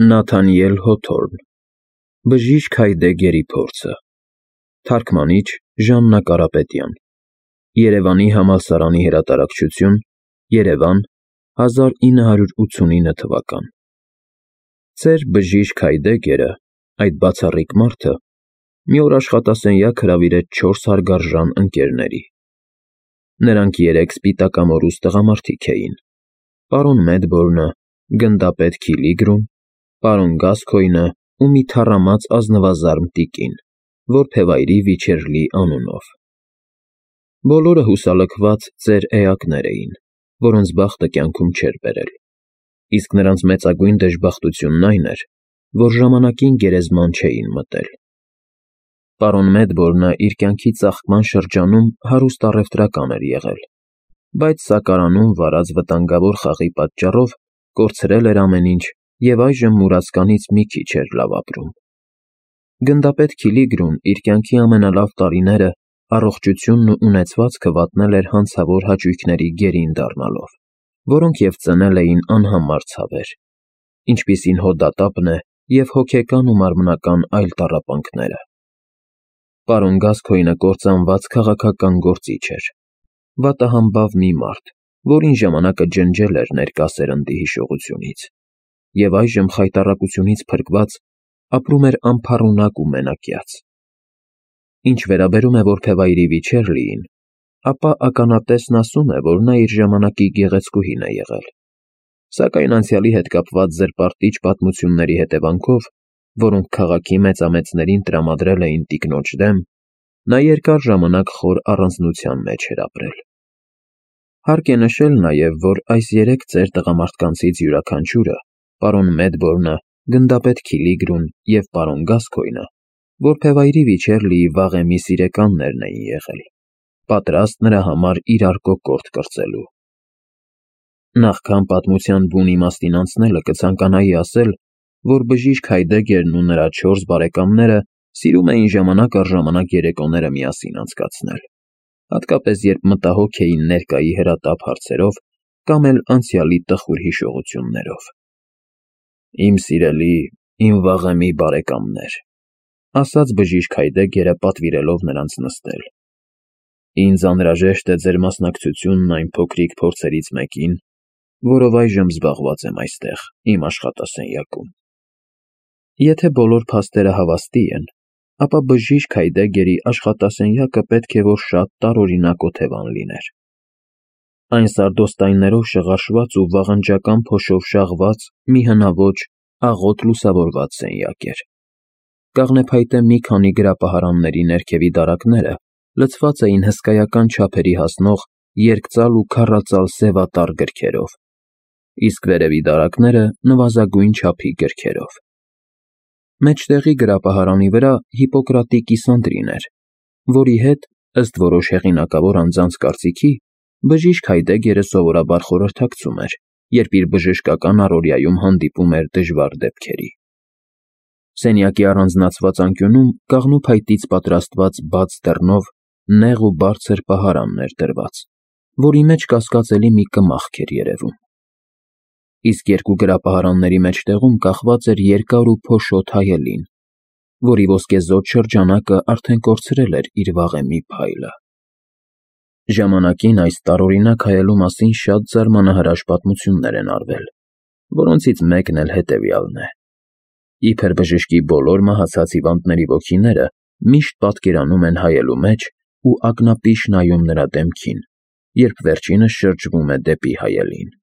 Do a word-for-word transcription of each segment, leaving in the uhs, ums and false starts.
Նաթանիել Հոթորն Բժիշկ Հայդեգերի փորձը Թարգմանիչ Ժաննա Կարապետյան Երևանի համալսարանի հրատարակչություն Երևան հազար ինը հարյուր ութսունինը թվական Ծեր բժիշկ Հայդեգերը, այդ բացառիկ մարդը, մի օր աշխատասենյակ հրավիրեց չորս հարգարժան ընկերների։ Նրանք երեք սպիտակամորուս տղամարդիկ էին. պարոն Մեդբորնը, գնդապետ Քիլիգրուն, պարոն Գասքոյնը ու մի թառամած ազնվազարմ տիկին, որբևայրի Վիչերլի անունով։ Բոլորը հուսալքված ծեր էակներ էին, որոնց բախտը կյանքում չէր բերել, իսկ նրանց մեծագույն դժբախտությունն այն էր, որ ժամանակին գերեզման չէին մտել։ Պարոն Մեդբորնը իր կյանքի ծաղկման շրջանում հարուստ առևտրական էր եղել, բայց սակարանում վարած վտանգավոր խաղի պատճառով կորցրել էր ամեն ինչ և այժմ մուրացկանից մի քիչ էր լավ ապրում։ Գնդապետ Քիլիգրուն իր կյանքի ամենալավ տարիները առողջությունն ու ունեցվածքը վատնել էր հանցավոր հաճույքների գերին դառնալով, որոնք և ծնել էին անհամար ցավեր, ինչպիսին հոդատապն է և հոգեկան ու մարմնական այլ տառապանքները։ Պարոն Գասքոյնը կործանված քաղաքական գործիչ էր, վատահամբավ մի մարդ, որին ժամանակը ջնջել էր ներկա սերնդի հիշողությունից, և այժմ խայտառակությունից փրկված ապրում էր անփառունակ ու մենակյաց։ Ինչ վերաբերում է որբևայրի Վիչերլիին, ապա ականատեսն ասում է, որ նա իր ժամանակի գեղեցկուհին է եղել, սակայն անցյալի հետ կապված զրպարտիչ պատմությունների հետևանքով, որոնք քաղաքի մեծամեծներին տրամադրել էին տիկնոջ դեմ, նա երկար ժամանակ խոր առանձնության մեջ էր ապրել։ Հարկ է նշել նաև, որ այս երեք ծեր տղամարդկանցից յուրաքանչյուրը, պարոն Մեդբորնը, գնդապետ Քիլիգրուն և պարոն Գասքոյնը, որբևայրի Վիչերլիի վաղեմի սիրեկաններն էին եղել, պատրաստ նրա համար իրար կոկորդ կրծելու։ Նախքան պատմության բուն իմաստին անցնելը կցանկանայի ասել, որ բժիշկ Հայդեգերն ու նրա չորս բարեկամները սիրում էին ժամանակ առ ժամանակ երեկոները միասին անցկացնել, հատկապես երբ մտահոգ էին ներկայի հրատապ հարցերով կամ էլ անցյալի տխուր հիշողություններով։ «Իմ սիրելի, իմ վաղեմի բարեկամներ», ասաց բժիշկ Հայդեգերը, պատվիրելով նրանց նստել, «ինձ անհրաժեշտ է ձեր մասնակցությունն այն փոքրիկ փորձերից մեկին, որով այժմ զբաղված եմ այստեղ, իմ աշխատասենյակում։ Եթե բոլոր փաստերը հավաստի են, ապա բժիշկ Հայդեգերի աշխատասենյակը պետք է որ շատ տարօրինակ օթևան լիներ։ Այն սարդոստայններով շղարշված ու վաղնջական փոշով շաղված մի հնաոճ, աղոտ լուսավորված սենյակ էր։ Կաղնեփայտե մի քանի գրապահարանների ներքևի դարակները լցված էին հսկայական չափերի հասնող երկծալ ու քառածալ սևատառ գրքերով, իսկ վերևի դարակները նվազագույն չափի գրքերով։ Մեջտեղի գրապահարանի վրա Հիպոկրատի կիսանդրին էր, որի հետ, ըստ որոշ հեղինակավոր անձանց կարծիքի, բժիշկ Հայդեգերը սովորաբար խորհրդակցում էր, երբ իր բժշկական առօրյայում հանդիպում էր դժվար դեպքերի։ Սենյակի առանձնացված անկյունում կաղնու փայտից պատրաստված բաց դռնով նեղ ու բարձր պահարան էր դրված, որի մեջ կասկածելի մի կմախք էր երևում։ Իսկ երկու գրապահարանների մեջտեղում կախված էր երկար ու փոշոտ հայելին, որի ոսկեզօծ շրջանակը արդեն կորցրել էր իր վաղեմի փայլը։ Ժամանակին այս տարօրինակ հայելու մասին շատ զարմանահրաշ պատմություններ են արվել, որոնցից մեկն էլ հետևյալն է. իբր բժշկի բոլոր մահացած հիվանդների ոգիները միշտ պատկերանում են հայելու մեջ ու ակնապիշ նայում նրա դեմքին, երբ վերջինս շրջվում է դեպի հայելին։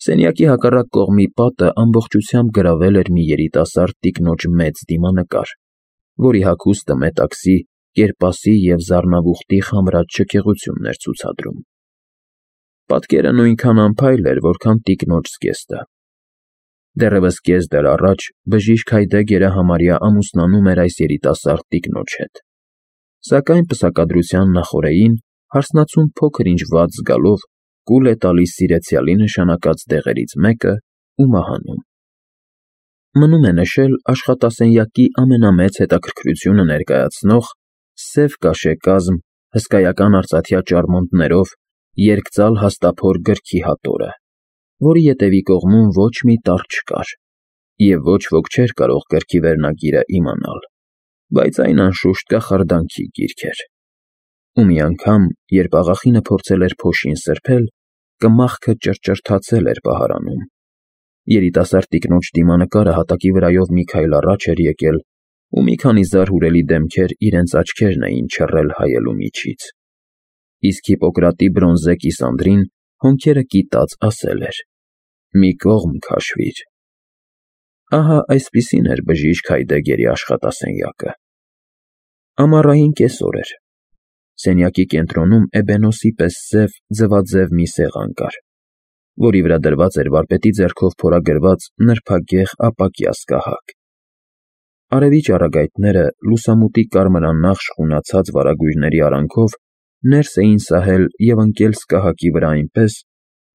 Սենյակի հակառակ կողմի պատը ամբողջությամբ գրավել էր մի երիտասարդ տիկնոջ մեծ դիմանկար, որի հագուստը մետաքսի, կերպասի և զառնավուխտի խամրած շքեղությունն էր ցուցադրում։ Պատկերը նույնքան անփայլ էր, որքան տիկնոջ զգեստը։ Դեռևս կես դար առաջ բժիշկ Հայդեգերը համարյա ամուսնանում էր այս երիտասարդ տիկնոջ հետ, սակայն պսակադրության նախօրեին հարսնացուն փոքր-ինչ վատ զգալով կուլ է տալիս սիրեցյալի նշանակած դեղերից մեկը ու մահանում։ Մնում է նշել աշխատասենյակի ամենամեծ հետաքրքրությունը ներկայացնող սև կաշեկազմ, հսկայական արծաթյա ճարմունկներով երկծալ հաստափոր գրքի հատորը, որի ետևի կողմում ոչ մի տառ չկար, և ոչ ոք չէր կարող գրքի վերնագիրը իմանալ, բայց այն անշուշտ կախարդանքի գիրք էր։ Ու մի անգամ, երբ աղախինը փորձել էր փոշին սրբել, կմախքը ճռճռթացել էր պահարանում։ Երիտասարդ տիկնոջ դիմանկարը հատակի վրայով մի քայլ առաջ էր եկել, ու մի քանի զարհուրելի դեմքեր իրենց աչքերն էին չռել հայելու միջից։ Իսկ Հիպոկրատի բրոնզե կիսանդրին հոնքերը կիտած ասել էր. «Մի կողմ քաշվիր»։ Ահա այսպիսին էր բժիշկ Հայդեգերի աշխատասենյակը։ Ամառային կեսօր էր։ Սենյակի կենտրոնում էբենոսի պես սև, ձվաձև մի սեղան կար, որի վրա դրված էր վարպետի ձեռքով փորագրված նրբագեղ ապակյա սկահակ։ Արևի ճառագայթները լուսամուտի կարմրանախ շխունացած վարագույրների արանքով ներս էին սահել և ընկել սկահակի վրա այնպես,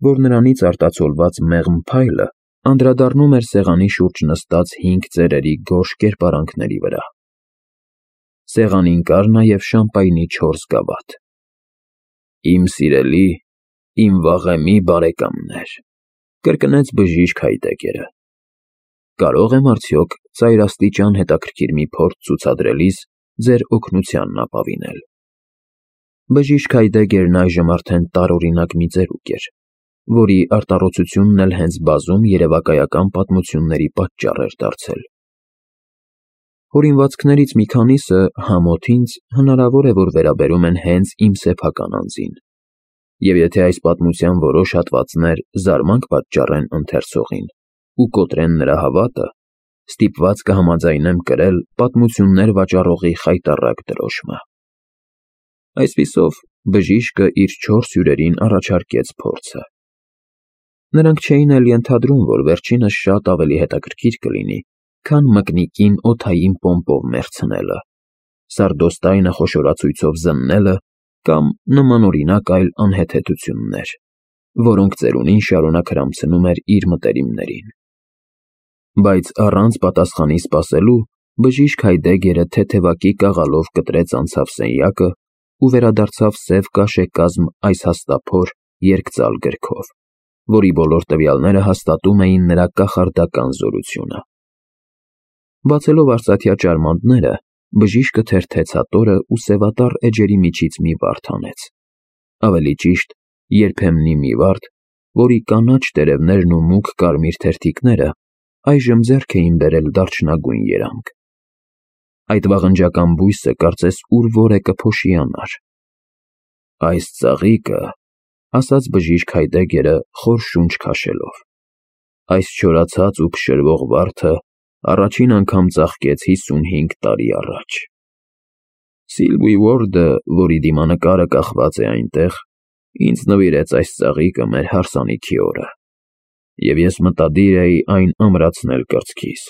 որ նրանից արտացոլված մեղմ փայլը անդրադառնում էր սեղանի շուրջ նստած հինգ ծերերի գորշ կերպարանքների վրա։ Սեղանին կար նաև շամպայնի չորս գավաթ։ «Իմ սիրելի, իմ վաղեմի բարեկամներ», կրկնեց բժիշկ Հայդեգերը, «կարող եմ արդյոք ծայրաստիճան հետաքրքիր մի փորձ ցուցադրելիս ձեր օգնությանն ապավինել»։ Բժիշկ Հայդեգերն այժմ արդեն տարօրինակ մի ծերուկ էր, որի արտառոցությունն էլ հենց բազում երևակայական պատմությունների պատճառ էր դարձել։ Հորինվածքներից մի քանիսը, համոթ ինձ, հնարավոր է, որ վերաբերում են հենց իմ սեփական անձին, և եթե այս պատմության որոշ հատվածներ զարմանք պատճառեն ընթերցողին ու կոտրեն նրա հավատը, ստիպված կհամաձայնեմ կրել պատմություններ վաճառողի խայտառակ դրոշմը։ Այսպիսով, բժիշկը իր չորս հյուրերին առաջարկեց փորձը։ Նրանք չէին էլ ենթադրում, որ վերջինս շատ ավելի հետաքրքիր կլինի, քան մկնիկին օդային պոմպով մեռցնելը, սարդոստայնը խոշորացույցով զննելը կամ նմանօրինակ այլ անհեթեթություններ, որոնք ծերունին շարունակ հրամցնում էր իր մտերիմներին։ Բայց առանց պատասխանի սպասելու բժիշկ Հայդեգերը թեթևակի կաղալով կտրեց անցավ սենյակը ու վերադարձավ սև կաշեկազմ այս հաստափոր երկծալ գրքով, որի բոլոր տվյալները հաստատում էին նրա կախարդական զորությունը։ Բացելով արծաթյա ճարմանտները, բժիշկը թերթեց հատորը ու սևատառ էջերի միջից մի վարդ հանեց, ավելի ճիշտ, երբեմնի մի վարդ, որի կանաչ տերևներն ու մուգ կարմիր թերթիկները այժմ ձեռք էին բերել դարչնագույն երանգ։ Այդ վաղնջական բույսը կարծես ուր որ է կփոշիանար։ «Այս ծաղիկը», ասաց բժիշկ Հայդեգերը խոր շունչ քաշելով, «այս չորացած ու փշրվող վարդը առաջին անգամ ծաղկեց հիսունհինգ տարի առաջ։ Սիլվի Ուորդը, որի դիմանկարը կախված է այնտեղ, ինձ նվիրեց այս ծաղիկը մեր հարսանիքի օրը, և ես մտադիր էի այն ամրացնել կրծքիս։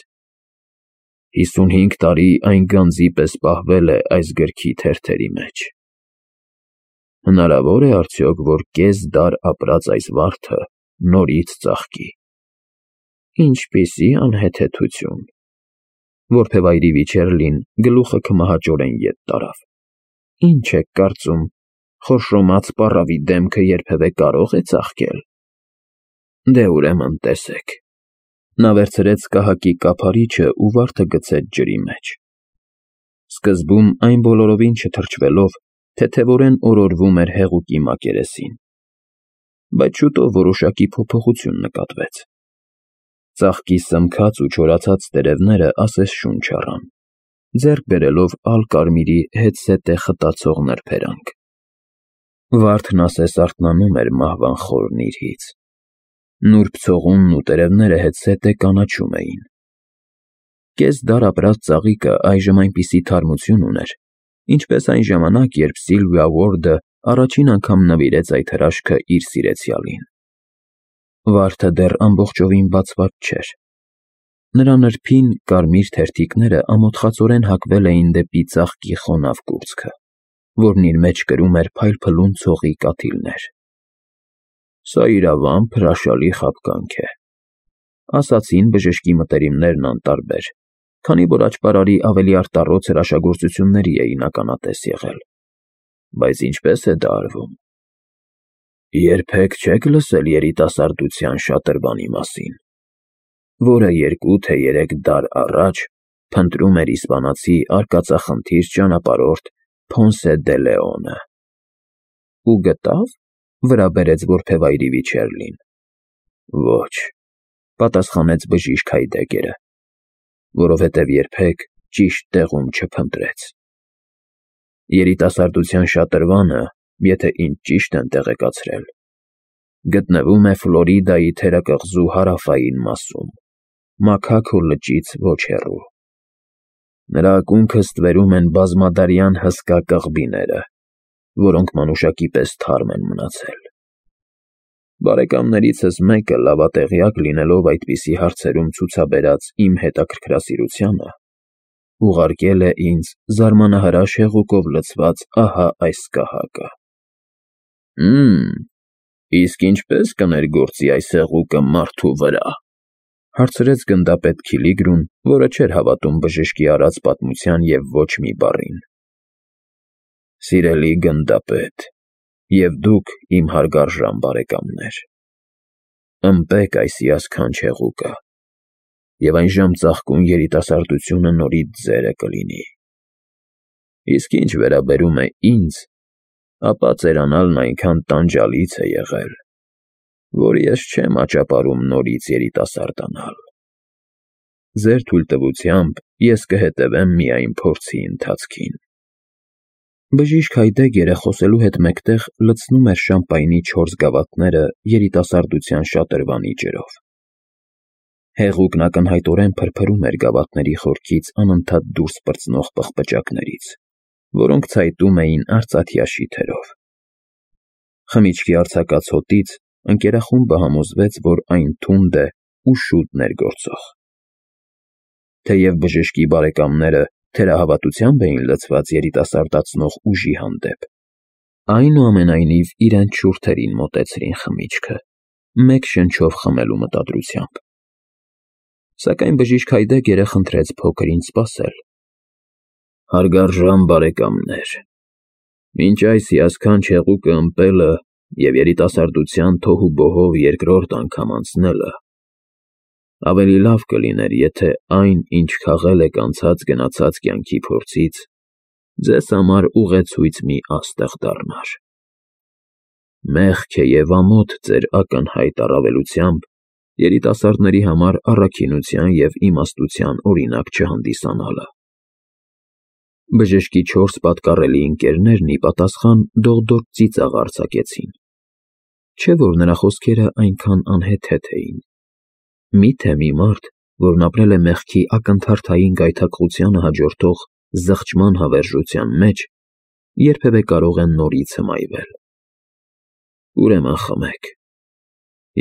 Հիսունհինգ տարի այն գանձի պես պահվել է այս գրքի թերթերի մեջ։ Հնարավո՞ր է արդյոք, որ կես դար ապրած այս վարդը նորից ծաղկի։ Ինչպիսի անհեթեթություն»։ Որբևայրի Վիչեռլին գլուխը քմահաճորեն ետ տարավ։ «Ինչ եք կարծում, խորշոմած պառավի դեմքը երբևէ կարո՞ղ է ծաղկել։ Դե ուրեմն տեսեք»։ Նա վերցրեց սկահակի կափարիչը ու վարդը գցեց ջրի մեջ։ Սկզբում այն բոլորովին չթրջվելով, թեթևորեն օրորվում էր հեղուկի մակերեսին, բայց շուտով որոշակի փոփոխություն նկատվեց։ Ծաղկի սմքած ու չորացած տերևները ասես շունչ առան, ձեռք բերելով ալ֊կարմիրի հետզհետե խտացող նրբերանգ։ Վարդն ասես արթնանում էր մահվան խոր նիրհից։ Նուրբ ցողունն ու տերևները հետզհետե կանաչում էին։ Կես դար ապրած ծաղիկը այժմ այնպիսի թարմություն ուներ, ինչպես այն ժամանակ, երբ Սիլվիա Ուորդը առաջին անգամ նվիրեց այդ հրաշքը իր սիրեցյալին։ Վարդը դեռ ամբողջովին բացված չէր։ Նրա նրբին, կարմիր թերթիկները ամոթխածորեն հակվել էին դեպի ծաղկի խոնավ կուրծքը, որն իր մեջ կրում էր փայլփլուն ցողի կաթիլներ։ «Սա իրավամբ հրաշալի խաբկանք է», ասացին բժշկի մտերիմներն անտարբեր, քանի որ աճպարարի ավելի արտառոց հրաշագործությունների էին ականատես եղել։ Բայց ինչպե՞ս է դա արվում։ Երբեք չե՞ք լսել երիտասարդության շատրվանի մասին։ որը երկու թե երեք դար առաջ փնտրում էր իսպանացի արկածախնդիր ճանապարհորդ Փոնսե դե Լեոնը։ Ու գտավ, վրա բերեց որբևայրի Վիչեռլին։ Ոչ, պատասխանեց բժիշկ Հայդեգերը, որովհետև երբեք ճիշտ տեղում չփնտրեց։ Երիտասարդության շատրվանը, եթե ինձ ճիշտ են տեղեկացրել, գտնվում է Ֆլորիդայի թերակղզու հարավային մասում, Մաքաքո լճից ոչ հեռու։ Նրա ակունքը ստվերում են բազմադարյան հսկա կղբիները, որոնք մանուշակի պես թարմ են մնացել։ Բարեկամներիցս մեկը լավատեղյակ լինելով այդպիսի հարցերում ցուցաբերած իմ հետաքրքրասիրությանը, ուղարկել է ինձ զարմանահրաշ հեղուկով լցված ահա այս կահակը։ Հմ, իսկ ինչպե՞ս կներգործի այս հեղուկը մարդու վրա, հարցրեց գնդապետ Քիլիգրուն, որը չէր հավատում բժշկի արած պատմության և ոչ մի բառին։ Սիրելի գնդապետ, և դուք իմ հարգարժան բարեկամներ, ըմպեք այս հիասքանչ հեղուկը, և այն ժամ ծաղկուն երիտասարդությունը նորից ձերը կլինի։ Իսկ ինչ վերաբերում է ինձ, ապա ծերանալն այնքան տանջալից է եղել, որ ես չեմ աճապարում նորից երիտասարդանալ։ Ձեր թույլտվությամբ ես կհետևեմ միայն փորձի ընթացքին։ Բժիշկ Հայդեգերը խոսելու հետ մեկտեղ լցնում էր շամպայնի չորս գավաթները երիտասարդության շատրվանի ջրով։ Հեղուկն ակնհայտորեն փրփրում էր գավաթների խորքից անընդհատ դուրս պրծնող պղպջակներից, որոնք ցայտում էին արծաթյա շիթերով։ Խմիչքի արձակած հոտից ընկերախումբը համոզվեց, որ այն թունդ է ու շուտ ներգործող։ Թեև բժշկի բարեկամները թերահավատությամբ էին լցված երիտասարդացնող ուժի հանդեպ, այնուամենայնիվ իրենց շուրթերին մոտեցրին խմիչքը, մեկ շնչով խմելու մտադրությամբ։ Սակայն բժիշկ Հայդեգերը խնդրեց փոքր-ինչ սպասել։ Հարգարժան բարեկամներ, մինչ այս հիասքանչ հեղուկը ըմպելը և երիտասարդության թոհուբոհով երկրորդ անգամ անցնելը, ավելի լավ կլիներ, եթե այն, ինչ քաղել եք անցած գնացած կյանքի փորձից, ձեզ համար ուղեցույց մի աստղ դառնար։ Մեղք է և ամոթ ձեր ակնհայտ առավելությամբ երիտասարդների համար առաքինության և իմաստության օրինակ չհանդիսանալը։ Բժշկի չորս պատկառելի ընկերներն ի պատասխան դողդոջ ծիծաղ արձակեցին, չէ՞ որ նրա խոսքերը այնքան անհեթեթ էին։ Մի՞թե մի մարդ, որն ապրել է մեղքի ակնթարթային գայթակղությանը հաջորդող զղջման հավերժության մեջ, երբևէ կարող է նորից հմայվել։ Ուրեմն խմեք։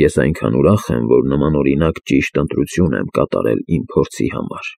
Ես այնքան ուրախ եմ, որ նմանօրինակ ճիշտ ընտրություն եմ կատարել իմ փորձի համար։